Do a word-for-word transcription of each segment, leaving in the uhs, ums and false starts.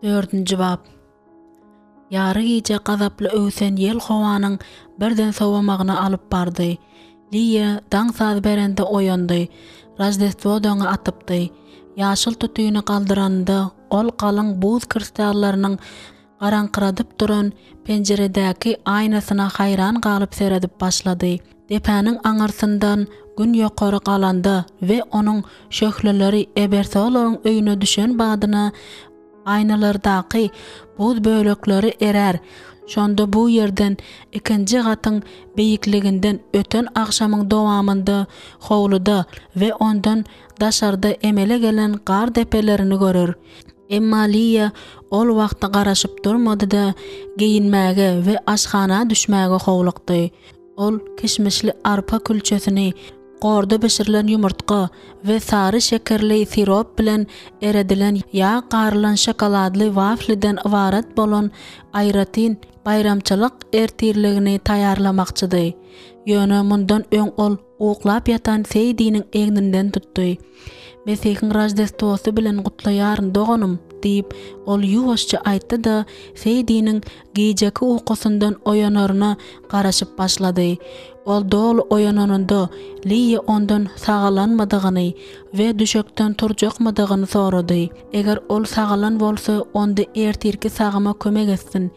Dördünji bap. Ýary gije gazaply öwsen ýel howanyň birden sowamagyna alyp bardy. Liýa daň saz berende oýandy. Roždestwo daňy atypdy. Ýaşyl tutyny galdyranynda ol galyň buz kristallarynyň garaňkyradyp duran penjiredäki aýnasyna haýran galyp seredip başlady. Depäniň aňyrsyndan Gün ýokary galanda we onuň şöhleleri Ebersolaryň öýüne düşen badyna aýnalardaky buz bölekleri erär, şonda bu ýerden ikinji gatyň beýikliginden öten agşamyň dowamynda howluda we ondan daşarda emele gelen gar depelerini görer. Emma Liýa ol wagta garaşyp durmady-da, geýinmäge we aşhana düşmäge howlukdy. Ol kişmişli arpa külçesini, gorda bişirilen ýumurtga we sary şekerli sirop bilen eredilen ýag garylan şokoladly wafliden ybarat bolan aýratyn baýramçylyk ertirligini taýýarlamakçydy. Ýöne mundan öň ol uklap ýatan Seýdiniň egninden tutdy. Mesihiň Roždestwosy bilen gutlaýaryn, doganym! diýip, ol ýuwaşja aýtdy-da, Seýdiniň gijeki ukusyndan oýanaryna garaşyp başlady. Ol doly oýananynda, Liýa ondan sagalanmydygyny we düşekden turjakmydygyny sorady. Eger ol sagalan bolsa, onda ertirki sagyma kömek etsin.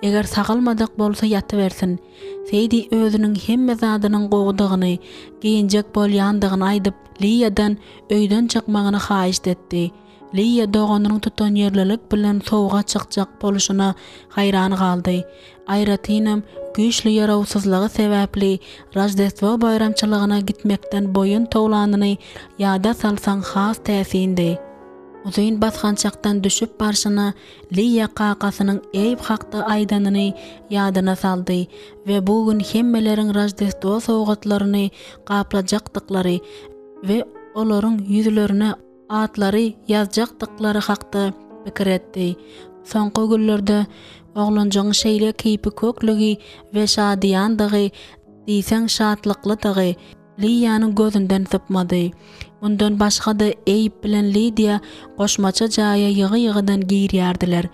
Eger sagalmadyk bolsa ýatybersin. Seýdi özüniň hemme zadynyň gowudygyny, geýinjek bolýandygyny aýdyp, Liýadan öýden çykmagyny haýyşt etdi. Liýa doganynyň tutanýerlilik bilen sowuga çykjak bolşuna haýran galdy. Aýratynam, güýçli ýarawsyzlygy sebäpli Roždestwo baýramçylygyna gitmekden boýun towlanyny ýada salsaň has täsindi. Uzyn basgançakdan düşüp barşyna Liýa kakasynyň Eýb hakda aýdanyny ýadyna saldy we bu gün hemmeleriň Roždestwo sowgatlaryny gaplajakdyklary we olaryň ýüzlerine atlary ýazjakdyklary hakda pikir etdi. Soňky günlerde oglanjygyň şeýle keýpi köklügi we şadyýandygy, diýseň şatlyklydygy Liýanyň gözünden sypmady. Mundan başga-da Eýb bilen Lidiýa goşmaça jaýa ýygy-ýygydan girýärdiler.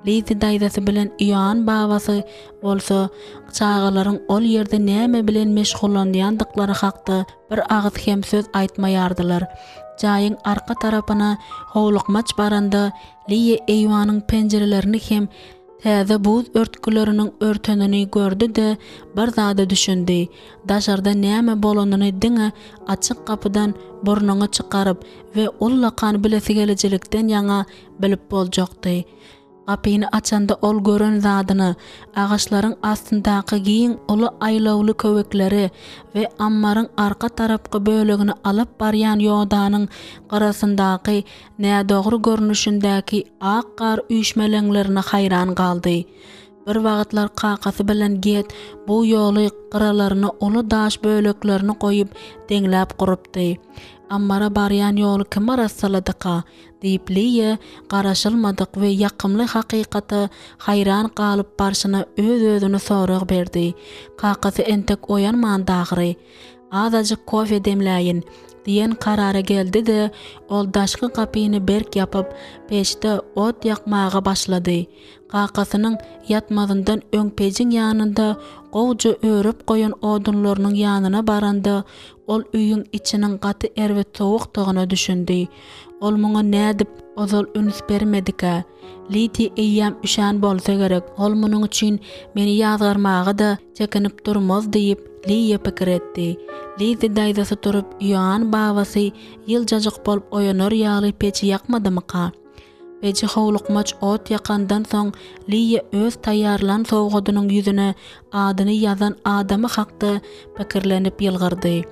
Lizi daýzasy bilen Ioann babasy bolsa çagalaryň ol ýerde näme bilen meşgullanýandyklary hakda bir agyz hem söz aýtmaýardylar. Jaýyň arka tarapyna howlukmaç baranda Liýa eýwanyň penjirelerini hem täze buz örtgüleriniň örtenini gördi-de, bir zada düşündi, daşarda näme bolanyny diňe açyk gapydan burnuňy çykaryp we ullakan bilesigelijilikden ýaňa bilip boljakdy. Gapyny açanda ol gören zadyna, agaçlaryň astyndaky giň uly aýlawly köwekleri we ammaryň arka tarapky bölegini alyp barýan ýodanyň gyrasyndaky nädogry görnüşindäki ak gar üýşmeleňlerine haýran galdy. Bir wagtlar kakasy bilen Get bu ýoly gyralaryna uly daş böleklerini goýup deňläp gurupdy. Ammara barýan ýoly kim arassaladyka? Diýip, Liýa garaşylmadyk we ýakymly hakykata haýran galyp barşyna öz-özüne sorag berdi. Kakasy entek oýanmandy ahyry. Azajyk kofe demläýin, diýen karara geldi-de, ol daşky gapyny berk ýapyp, peçde ot ýakmaga başlady. Kakasynyň ýatmazyndan öň pejiň ýanynda gowuja örüp goýan odunlarynyň ýanyna baranda, ol öýüň içiniň gaty erbet sowukdygyna düşündi. Ol muňa nädip ozal üns bermedikä? Lidiýa eýýäm üşän bolsa gerek, ol munuň üçin meni ýazgarmaga-da çekinip durmaz diýip, Liýa pikir etdi. Lizi daýzasy turup, Ioann babasy ýyljajyk bolup oýanar ýaly peji ýakmadymyka? Peji howlukmaç ot ýakandan soň Liýa öz taýýarlan sowgadynyň ýüzüne adyny ýazan adamy hakda pikirlenip ýylgyrdy.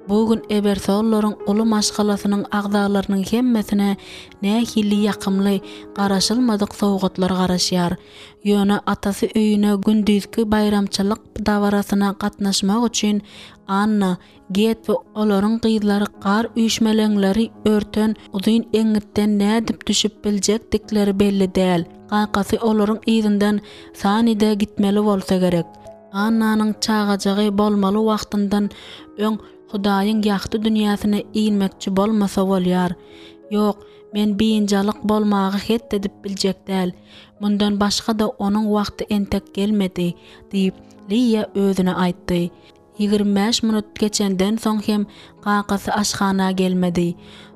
Bu gün Ebersollaryň uly maşgalasynyň agzalarynyň hemmesine nähili ýakymly, garaşylmadyk sowgatlar garaşýar. Ýöne atasy öýüne gündizki baýramçylyk dabarasyna gatnaşmak üçin Anna, Get we olaryň gyzlary gar üýşmeleňleri örten uzyn eňňitden nädip düşüp biljekdikleri belli däl. Kakasy olaryň yzyndan Sanide gitmeli bolsa gerek. Annanyň çagajygy bolmaly wagtyndan öň Hudaýyň ýagty dünýäsine inmekçi bolmasa bolýar. Ýok, Men biynjalyk bolmagy het edip biljek däl. Mundan başga-da onuň wagty entek gelmedi, diýip, Liýa özüne aýtdy. Ýigrimi bäş minut geçenden soň hem kakasy aşhana gelmedi.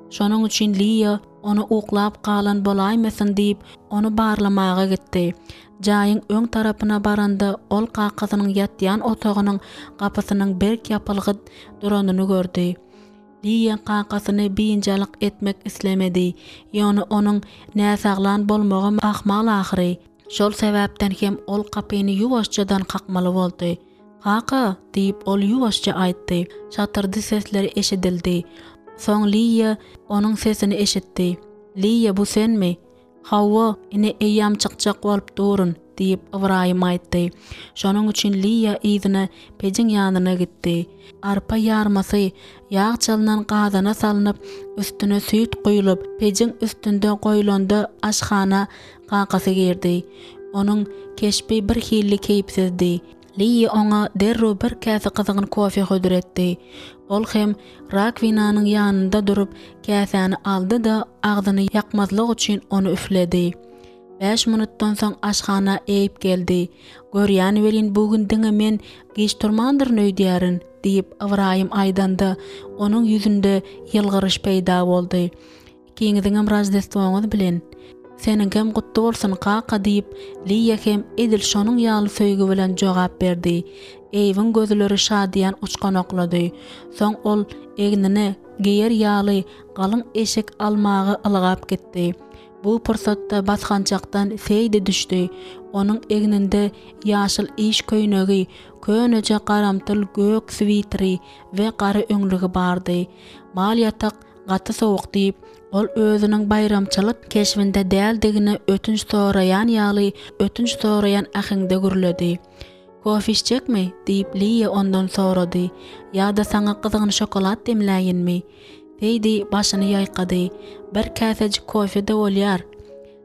Şonuň üçin Liýa ony uklap galan bolaýmasyn diýip, ony barlamaga gitdi. Jaýyň öň tarapyna baranda ol kakasynyň ýatýan otagynyň gapysynyň berk ýapylgy duranyny gördi. Liýa kakasyny biynjalyk etmek islemedi, ýöne onuň näsaglan bolmagam ahmal ahyry. Şol sebäpden hem ol gapyny ýuwaşjadan kakmaly boldy. Kaka! diýip, ol ýuwaşja aýtdy. Şatyrdy sesleri eşidildi. Soň Liýa onuň sesini eşitdi. Liýa, bu senmi? Hawa, ine eýýäm çykjak bolup durun, diýip, Ybraýym aýtdy. Şonuň üçin Liýa yzyna pejiň ýanyna gitdi. Arpa ýarmasy ýag çalnan gazana salnyp, üstüne süýt guýlup, pejiň üstünde goýlanda aşhana kakasy girdi. Onuň keşbi birhili keýpsizdi. Liýa oňa derrew bir käse gyzgyn kofe hödür etdi. Ol hem rakwinanyň ýanynda durup, käsäni aldy-da, agzyny ýakmazlyk üçin ony üfledi. Bäş minutdan soň aşhana Eýb geldi. Görýän welin bu gün diňe men giç turmandyryn öýdýärin, diýip, Ybraýym aýdanda, onuň ýüzünde ýylgyryş peýda boldy. Ikiňiziňem roždestwoňyz bilen! Seniňkem gutly bolsun, kaka, diýip, Liýa hem edil şonuň ýaly söýgi bilen jogap berdi. Eýwiň gözleri şadyýan uçganaklady. Soň ol egnine geýer ýaly galyň eşik almaga ylgap gitdi. Bu pursatda basgançakdan Seýdi düşdi. Onuň egninde ýaşyl iş köýnegi, köneje garamtyl gök switeri we gara öňlügi bardy. Mal ýatak Gaty sowuk diýip, ol özüniň baýramçylyk keşbinde däldigine ötünç soraýan ýaly ötünç soraýan äheňde gürledi. Kofe içjekmi? diýip, Liýa ondan sorady. Ýa-da saňa gyzgyn şokolad demläýinmi? Seýdi başyny ýaýkady. Bir käsejik kofe-de bolýar.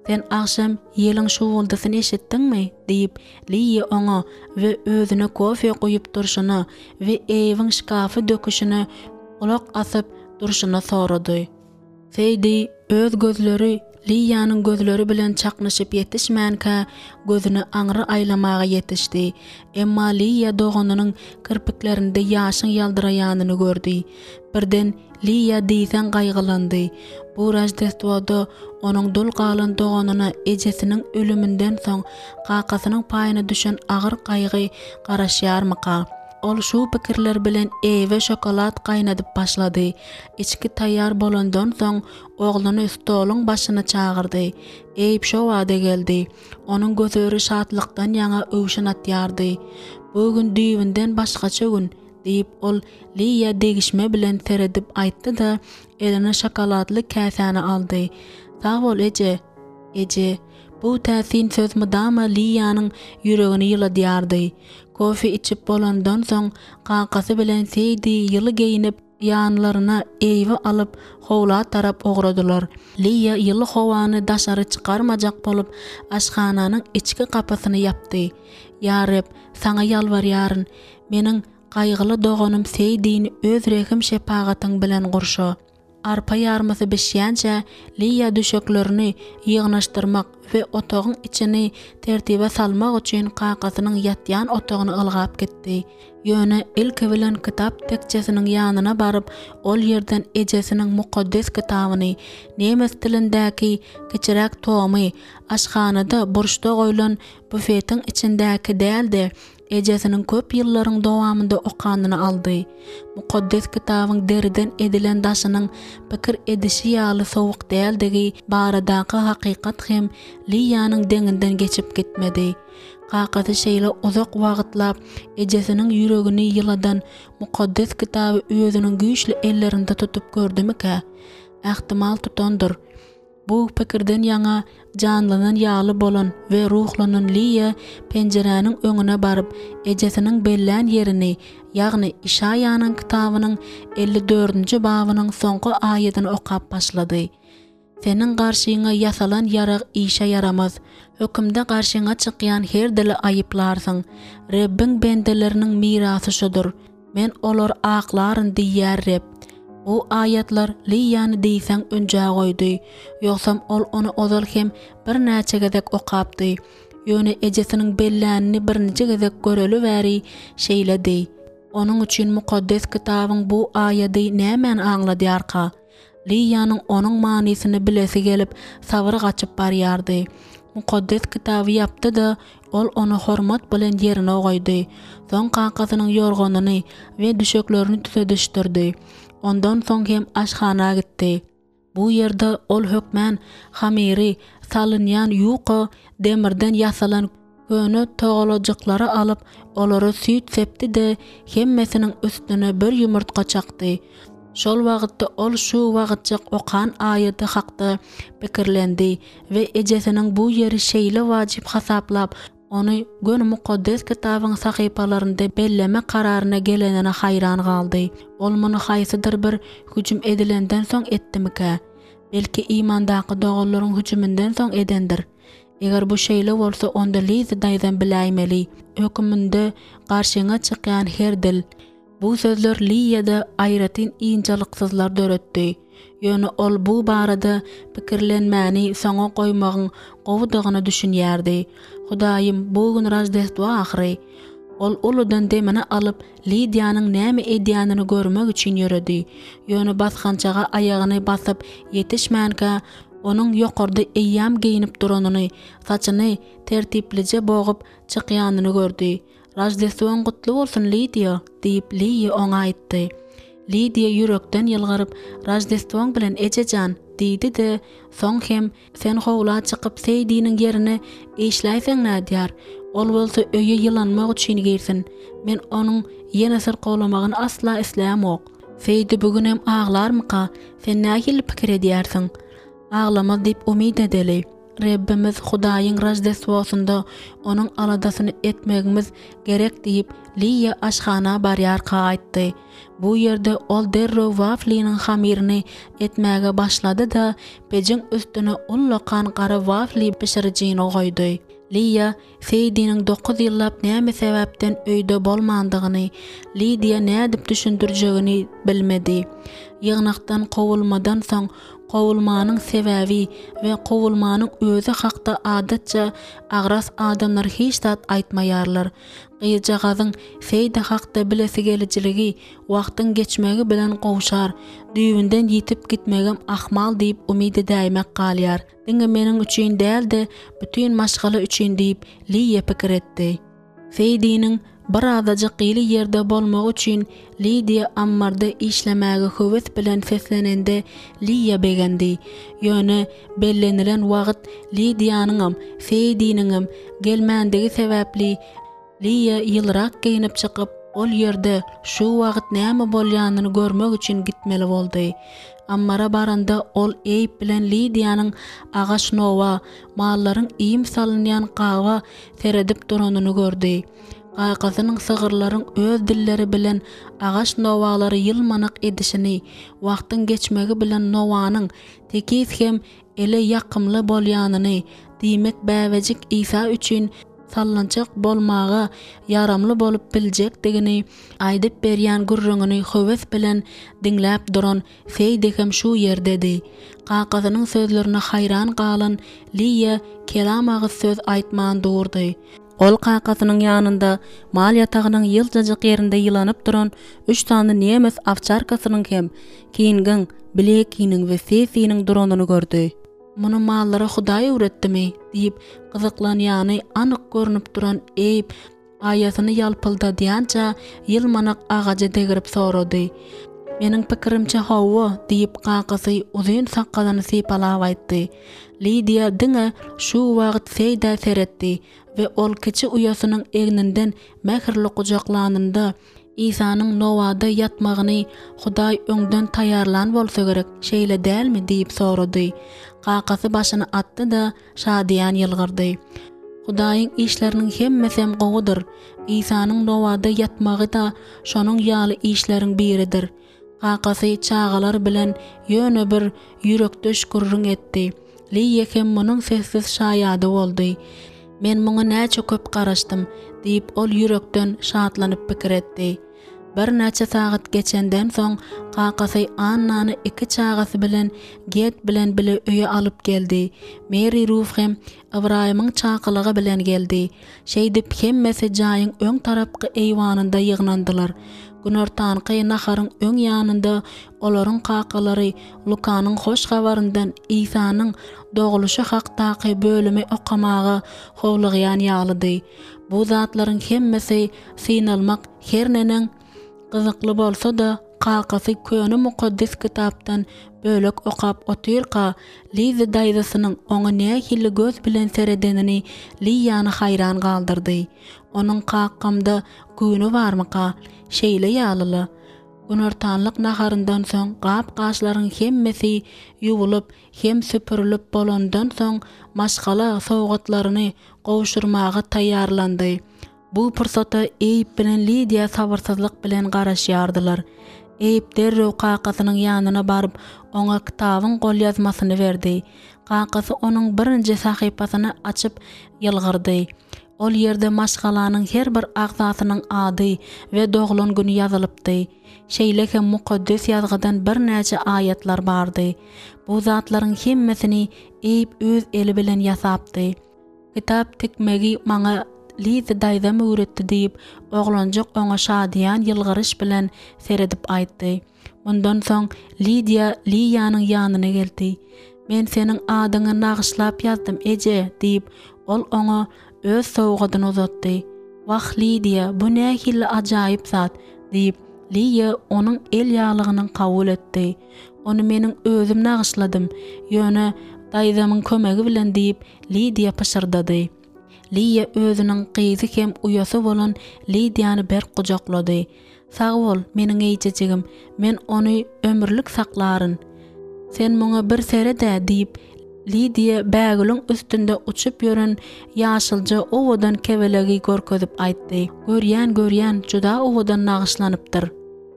Sen agşam ýeliň şuwwuldysyny eşitdiňmi? diýip, Liýa oňa we özüne kofe guýup durşuna we Eýwiň şkafy döküşine gulak asyp durşuna sorady. Seýdi öz gözleri Liýanyň gözleri bilen çaknyşyp ýetişmänkä, gözüni aňry aýlamaga ýetişdi. Emma Liýa doganynyň kirpiklerinde ýaşyň ýaldyraýanyny gördi. Birden Liýa diýseň gaýgylandy. Bu Roždestwoda onuň dul galan doganyna ejesiniň ölüminden soň kakasynyň paýyna düşen agyr gaýgy garaşýarmyka? Ol şu pikirler bilen Eýwe şokolad gaýnadyp başlady. Içgi taýýar bolandan soň, ogluny stoluň başyna çagyrdy. Eýb şo bada geldi. Onuň gözleri şatlykdan ýaňa öwşün atýardy. Bu gün düýbünden başgaça gün, diýip, ol Liýa degişme bilen seredip aýtdy-da, eline şokoladly käsäni aldy. Sag bol, eje! Eje! Bu täsin söz mydama Liýanyň ýüregini ýyladýardy. Kofe içip bolandan soň, kakasy bilen Seýdi ýyly geýnip, ýanlaryna Eýwi alyp, howla tarap ugradylar. Liýa ýyly howany daşary çykarmajak bolup, aşhananyň içki gapysyny ýapdy. Ýa Reb, Saňa ýalbarýaryn, meniň gaýgyly doganym Seýdini Öz rehim-şepagatyň bilen gurşa. Arpa ýarmasy bişýänçä, Liýa düşeklerini ýygnaşdyrmak we otagyň içini tertibe salmak üçin kakasynyň ýatýan otagyna ylgap gitdi. Ýöne ilki bilen kitap tekjesiniň ýanyna baryp, ol ýerden ejesiniň mukaddes kitabyny, nemes dilindäki kiçiräk tomy, aşhanada burçda goýlan bufetiň içindäki däl-de, ejesiniň köp ýyllaryň dowamynda okanyny aldy. Mukaddes Kitabyň deriden edilen daşynyň pikir edişi ýaly sowuk däldigi baradaky hakykat hem Liýanyň deňinden geçip gitmedi. Kakasy şeýle uzak wagtlap ejesiniň ýüregini ýyladan Mukaddes Kitaby özüniň güýçli ellerinde tutup gördümikä? Ähtimal tutandyr. Bu pikirden ýaňa janlanan ýaly bolan we ruhlanan Liýa penjiräniň öňüne baryp, ejesiniň bellän ýerini, ýagny Işaýanyň kitabynyň elli dördünji babynyň soňky aýadyny okap başlady. Seniň garşyňa ýasalan ýarag işe ýaramaz. Hökümde garşyňa çykýan her dili aýyplarsyň. Rebbiň bendeleriniň mirasy şudur. Men olary aklaryn diýýär Reb. Bu aýatlar Liýany diýseň ünjä goýdy. Ýogsam ol ony ozal hem birnäçe gezek okapdy. Ýöne ejesiniň bellänini birinji gezek göreli bäri şeýledi. Onuň üçin Mukaddes Kitabyň bu aýady nämäni aňladýarka? Liýanyň onuň manysyny bilesi gelip, sabyry gaçyp barýardy. Mukaddes Kitaby ýapdy-da, ol ony hormat bilen ýerine goýdy. Soň kakasynyň ýorganyny we düşeklerini tüzedişdirdi. Ondan soň hem aşhana gitdi. Bu ýerde ol hökmän hamyry salynýan ýuka demirden ýasalan köne togalajyklary alyp, olara süýt sepdi-de, hemmesiniň üstüne bir ýumurtga çakdy. Şol wagtda ol şu wagtjyk okan aýady hakda pikirlendi we ejesiniň bu ýeri şeýle wajyp hasaplap, ony göni Mukaddes Kitabyň sahypalarynda belleme kararyna gelenine haýran galdy. Ol muny haýsydyr bir hüjüm edilenden soň etdimikä? Belki imandaky doganlaryň hüjüminden soň edendir? Eger bu şeýle bolsa, onda Liza daýzam biläýmeli. Höküminde garşyňa çykýan her dil. Bu sözler Liýada aýratyn ynjalyksyzlar döretdi. Ýöne ol bu barada pikirlenmäni soňa goýmagyň gowudygyna düşünýärdi. Hudaýym, bu gün Roždestwo ahyry! Ol uludan demini alyp, Lidiýanyň näme edýänini görmek üçin ýöredi. Ýöne basgançaga aýagyny basyp ýetişmänkä, onuň ýokarda eýýäm geýnip duranyny, saçyny tertiplije bogup çykýanyny gördi. Roždestwoň gutly bolsun, Lidiýa! diýip, Liýa oňa aýtdy. Lidiýa ýürekden ýylgyryp, Roždestwoň bilen, eje jan! diýdi-de, soň hem, Sen howla çykyp Seýdiniň ýerine işläýseň nädýär? Ol bolsa öýe ýylanmak üçin girsin. Men onuň ýene syrkawlamagyny asla islämok. Seýdi bu günem aglarmyka? Sen nähili pikir edýärsiň? Aglamaz diýip umyt edeli. Rebbimiz Hudaýyň Roždestwosynda onuň aladasyny etmegimiz gerek diýip, Liýa aşhana barýarka aýtdy. Bu ýerde ol derrew wafliniň hamyryny etmäge başlady-da, pejiň üstüne ullakan gara wafli bişirijini goýdy. Liýa Seýdiniň dokuz ýyllap näme sebäpden öýde bolmandygyny Lidiýa nädip düşündirjegini bilmedi. Ýygnakdan kowulmadan soň kowulmanyň sebäbi we kowulmanyň özi hakda adatça agras adamlar hiç zat aýtmaýarlar. Gyzjagazyň Seýdi hakda bilesigelijiligi wagtyň geçmegi bilen gowşar, düýbünden ýitip gitmegem ahmal diýip umyt edäýmek galýar. Diňe meniň üçin däl-de, bütin maşgala üçin diýip, Liýa pikir etdi. Seýdiniň birazajyk ýyly ýerde bolmagy üçin Lidiýa ammarda işlemäge höwes bilen seslenende Liýa begendi. Ýöne bellenilen wagt Lidiýanyňam, Seýdiniňem gelmändigi sebäpli Liýa ýylyrak geýnip çykyp, ol ýerde şu wagt näme bolýanyny görmek üçin gitmeli boldy. Ammara baranda ol Eýb bilen Lidiýanyň agaç nowa, mallaryň iým salynýan gaba seredip duranyny gördi. Kakasynyň sygyrlaryň öz dilleri bilen agaç nowalary ýylmanak edişini, wagtyň geçmegi bilen nowanyň tekiz hem ele ýakymly bolýanyny, diýmek bäbejik Isa üçin sallançak bolmaga ýaramly bolup biljekdigini aýdyp berýän gürrüňini höwes bilen diňläp duran Seýdi hem şu ýerdedi. Kakasynyň sözlerine haýran galan Liýa kelam agyz söz aýtman durdy. Ol kakasynyň ýanynda mal ýatagynyň ýyljajyk ýerinde ýylanyp duran üç sany nemes owçarkasynyň hem Kingiň, Blekiniň we Sesiniň duranyny gördi. Muny mallara Hudaý öwretdimi? diýip, gyzyklanýany anyk görnüp duran Eýb aýasyny ýalpyldadýança ýylmanak agaja degrip sorady. Meniň pikirimçe, hawa, diýip, kakasy uzyn sakgalyny sypalap aýtdy. Lidiýa diňe şu wagt Seýdä seretdi we ol kiçi uýasynyň egninden mähirli gujaklanynda, Isanyň nowada ýatmagyny Hudaý öňden taýýarlan bolsa gerek, şeýle dälmi? diýip sorady. Kakasy başyny atdy-da, şadyýan ýylgyrdy. Hudaýyň işleriniň hemmesem gowudyr. Isanyň nowada ýatmagy-da şonuň ýaly işleriň biridir. Kakasy çagalar bilen ýöne bir ýürekdeş gürrüň etdi. Liýa hem munuň sessiz şaýady boldy. Men muňa näçe köp garaşdym, diýip, ol ýürekden şatlanyp pikir etdi. Birnäçe sagat geçenden soň, kakasy Annany iki çagasy bilen Get bilen bile öýe alyp geldi. Meri Ruf hem Ybraýymyň çakylygy bilen geldi. Şeýdip, hemmesi jaýyň öň tarapky eýwanynda ýygnandylar. Günortanky naharyň öň ýanynda olaryň kakalary Lukanyň Hoş Habaryndan Isanyň dogluşy hakdaky bölümi okamaga howlugýan ýalydy. Bu zatlaryň hemmesi synalmak her neneň gyzykly bolsa-da, kakasy köne Mukaddes Kitapdan bölek okap otyrka, Lizzi daýzasynyň oňa nähili göz bilen seredenini Liýany haýran galdyrdy. Onuň kakamda güni barmyka? Şeýle ýaly-la. Günortanlyk naharyndan soň gap-gaçlaryň hemmesi ýuwulyp hem süpürilip bolandan soň maşgala sowgatlaryny gowşurmaga taýýarlandy. Bu pursata Eýb bilen Lidiýa sabyrsyzlyk bilen garaşýardylar. Eýb derrew kakasynyň ýanyna baryp, oňa kitabyň golýazmasyny berdi. Kakasy onuň birinji sahypasyny açyp ýylgyrdy. Ol ýerde maşgalanyň her bir agzasynyň ady we doglan güni ýazylypdy. Şeýle hem Mukaddes Ýazgydan birnäçe aýatlar bardy. Bu zatlaryň hemmesini Eýb öz eli bilen ýasapdy. Kitap tikmegi maňa Liza daýzam öwretdi diýip, oglanjyk oňa şadyýan ýylgyryş bilen seredip aýtdy. Mundan soň Lidiýa Liýanyň ýanyna geldi. Men seniň adyňy nagyşlap ýazdym, eje, diýip, ol oňa öz sowgadyny uzatdy. Wah, Lidiýa, bu nähili ajaýyp zat! diýip, Liýa onuň el ýaglygyny kabul etdi. Ony meniň özüm nagyşladym, ýöne daýzamyň kömegi bilen diýip, Lidiýa pyşyrdady. Liýa özüniň gyzy hem uýasy bolan Lidiýany berk gujaklady. Sag bol, meniň eýjejigim, men ony ömürlik saklaryn. Sen muňa bir sered-ä, diýip, Lidiýa bägüliň üstünde uçup ýören ýaşylja owadan kebelegi görkezip aýtdy. Görýän, görýän, juda owadan nagyşlanypdyr.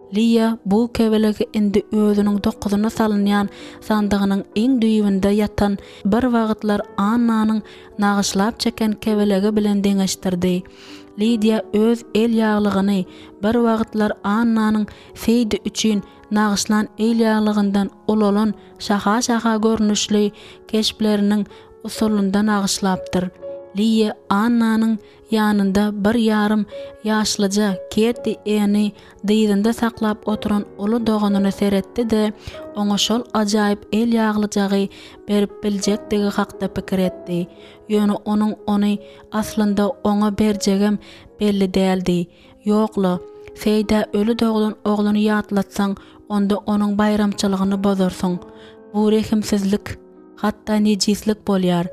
Liýa bu kebelegi indi özüniň dokuzyna salynýan sandygynyň iň düýbünde ýatan bir wagtlar Annanyň nagyşlap çeken kebelegi bilen deňeşdirdi. Lidiýa öz el ýaglygyny bir wagtlar Annanyň Seýdi üçin nagyşlan el ýaglygyndan ulalan şaha-şaha görnüşli keşpleriniň usulynda nagyşlapdyr. Liýa Annanyň ýanynda bir ýarym ýaşlyja Ketti Eni dyzynda saklap oturan uly doganyna seretdi-de, oňa şol ajaýyp el ýaglyjagy berip biljekdigi hakda pikir etdi. Ýöne onuň ony aslynda oňa berjegem belli däldi. Ýok-la, Seýdä öli doglan ogluny ýatlatsaň, onda onuň baýramçylygyny bozarsyň. Bu rehimsizlik, hatda nejislik bolýar.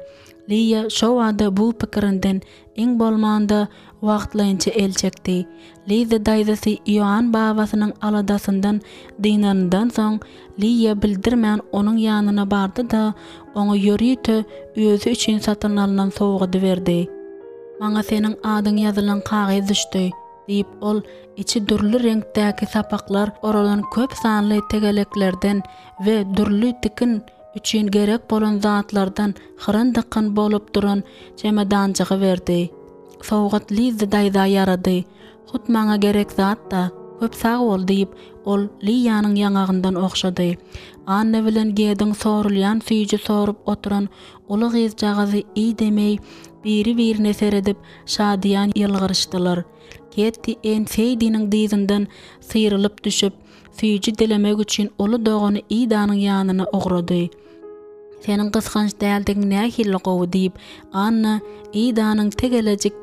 Liýa şo bada bu pikirinden, iň bolmanda, wagtlaýynça el çekdi. Liza daýzasy Ioann babasynyň aladasyndan dynanyndan soň, Liýa bildirmän onuň ýanyna bardy-da, oňa ýörite özi üçin satyn alnan sowgady berdi. Maňa seniň adyň ýazylan kagyz düşdi, diýip, ol içi dürli reňkdäki sapaklar oralan köp sanly tegeleklerden we dürli tikin üçin gerek bolan zatlardan hyryn-dykyn bolup duran çemedanjygy berdi. Sowgat Lizzi daýza ýarady. Hut maňa gerek zat-da. Köp sag bol, diýip, ol Liýanyň ýaňagyndan ogşady. Anna bilen Gediň sorulýan süýji sorup oturan uly gyzjagazy Idemeý biri-birine seredip, şadyýan ýylgyryşdylar. Ketti Enn Seýdiniň dyzyndan syrylyp düşüp, süýji dilemek üçin uly dogany Idanyň ýanyna ugrady. Seniň gysganç däldigiň nähili gowy, diýip, Anna Idanyň tegelejik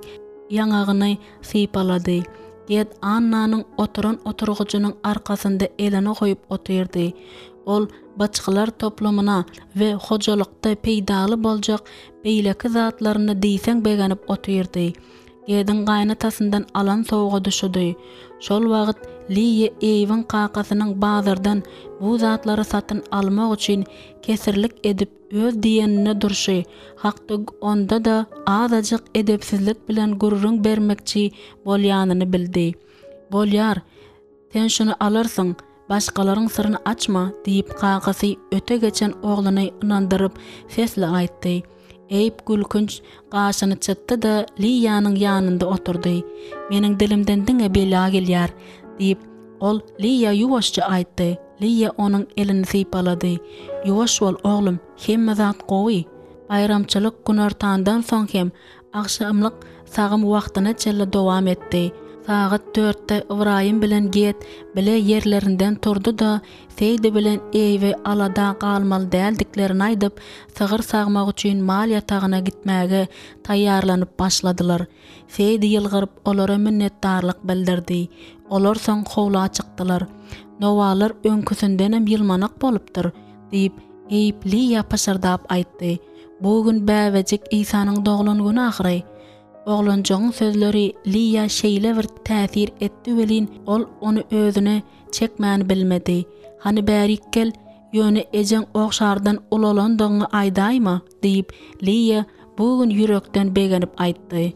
ýaňagyny sypalady. Ged Annanyň oturan oturgyjynyň arkasynda elini goýup otyrdy. Ol byçgylar toplumyna we hojalykda peýdaly boljak beýleki zatlaryna diýseň begenip otyrdy. Gediň gaýynatasyndan alan sowgady şudy. Şol wagt Liýa Eýwiň kakasynyň bazardan bu zatlary satyn almak üçin kesirlik edip öz diýeninde durşy hakda onda-da azajyk edepsizlik bilen gürrüň bermekçi bolýanyny bildi. Bolýar, sen şuny alarsyň, başgalaryň syryny açma, diýip, kakasy öte geçen ogluny ynandyryp, sesli aýtdy. Eýb gülkünç gaşyny çytdy-da, Liýanyň ýanynda oturdy. Meniň dilimden diňe bela gelýär, diýip, Ol Liýa ýuwaşja aýtdy. Liýa onuň elini sypalady. Ýuwaş bol, oglum, hemme zat gowy. Baýramçylyk günortandan soň hem agşamlyk sagym wagtyna çenli dowam etdi. Sagat dörtde Ybraýym bilen Get bile ýerlerinden turdy-da, Seýdi bilen Eýwe alada galmaly däldiklerini aýdyp, sygyr sagmak üçin mal ýatagyna gitmäge taýýarlanyp başladylar. Seýdi ýylgyryp, olara minnetdarlyk bildirdi. Olar soň howla çykdylar. Nowalar öňküsindenem ýylmanak bolupdyr, diýip, Eýip Liýa pyşyrdap aýtdy. Bu gün bäbejik Isanyň doglan güni ahyry. Oglanjygyň sözleri Liýa şeýle bir täsir etdi welin, ol ony özüne çekmäni bilmedi. Hany bärik gel, ýöne ejeň ogşardan ulalandygyňy aýdaýma, diýip, Liýa bu gün ýürekden begenip aýtdy.